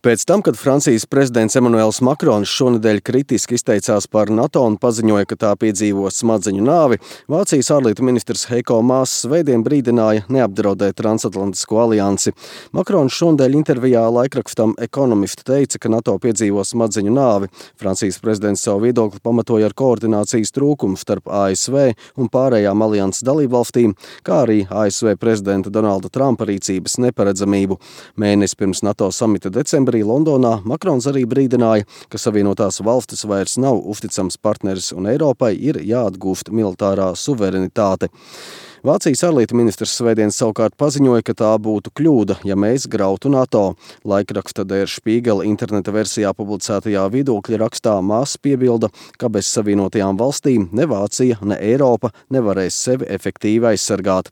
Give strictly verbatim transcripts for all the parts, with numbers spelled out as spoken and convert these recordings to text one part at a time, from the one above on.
Pēc tam, kad Francijas prezidents Emmanuels Makrons šonedēļ kritiski izteicās par NATO un paziņoja, ka tā piedzīvo smadzeņu nāvi, Vācijas ārlietu ministrs Heiko Maas svētdien brīdināja neapdraudēt transatlantisko aliansi. Makrons šonedēļ intervijā laikrakstam Economist teica, ka NATO piedzīvo smadzeņu nāvi. Francijas prezidents savu viedokli pamatoja ar koordinācijas trūkumu starp A S V un pārējām alianses dalībvalstīm, kā arī A S V prezidenta Donalda Trumpa rīcības neparedzamību. Mēnesi pirms NATO samita decembrī Londonā Makrons arī brīdināja, ka Savienotās valstis vairs nav uzticams partneris un Eiropai ir jāatgūst militārā suverenitāte. Vācijas ārlietu ministrs svētdien savukārt paziņoja, ka tā būtu kļūda, ja mēs grautu NATO. Laikraksta Der Spiegel interneta versijā publicētajā viedokļa rakstā Maas piebilda, ka bez Savienotajām valstīm ne Vācija, ne Eiropa nevarēs sevi efektīvi aizsargāt.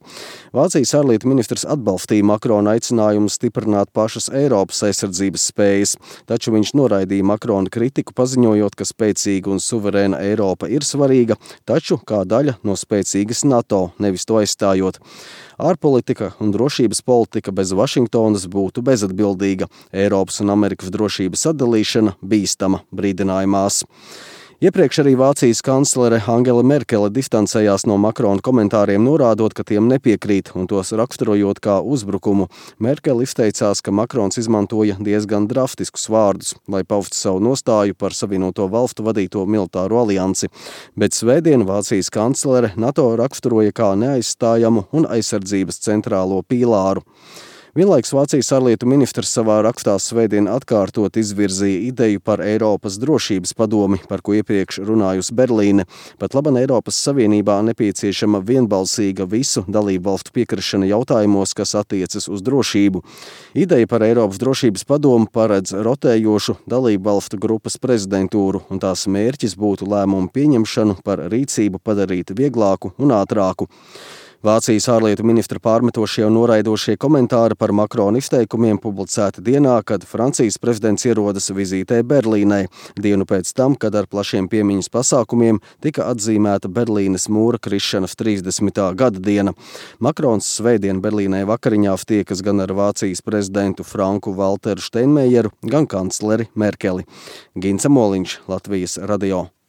Vācijas ārlietu ministrs atbalstīja Makrona aicinājumu stiprināt pašas Eiropas aizsardzības spējas, taču viņš noraidīja Makrona kritiku, paziņojot, ka spēcīga un suverēna Eiropa ir svarīga, taču kā daļa no spēcīgas NATO, nevis to aizstājot. Ārpolitika un drošības politika bez Vašingtonas būtu bezatbildīga. Eiropas un Amerikas drošības atdalīšana bīstama, brīdināja Maas. Iepriekš arī Vācijas kanclere Angela Merkele distancējās no Makrona komentāriem, norādot, ka tiem nepiekrīt un tos raksturojot kā uzbrukumu. Merkele izteicās, ka Makrons izmantoja diezgan drastiskus vārdus, lai paustu savu nostāju par Savienoto valstu vadīto militāro aliansi. Bet svētdien Vācijas kanclere NATO raksturoja kā neaizstājamu un aizsardzības centrālo pīlāru. Vienlaiks Vācijas ārlietu ministrs savā rakstā svētdien atkārtot izvirzīja ideju par Eiropas drošības padomi, par ko iepriekš runājusi Berlīne. Pat laban Eiropas Savienībā nepieciešama vienbalsīga visu dalību valstu piekrišana jautājumos, kas attiecas uz drošību. Ideja par Eiropas drošības padomu paredz rotējošu dalību valstu grupas prezidentūru, un tās mērķis būtu lēmumu pieņemšanu par rīcību padarīt vieglāku un ātrāku. Vācijas ārlietu ministra pārmetošie un noraidošie komentāri par Makrona izteikumiem publicēti dienā, kad Francijas prezidents ierodas vizītē Berlīnē, dienu pēc tam, kad ar plašiem piemiņas pasākumiem tika atzīmēta Berlīnes mūra krišanas trīsdesmitā gada diena. Makrons svētdien Berlīnē vakariņās tiekas gan ar Vācijas prezidentu Franku Valteru Steinmeieru, gan kancleri Merkeli. Gints Moliņš, Latvijas radio.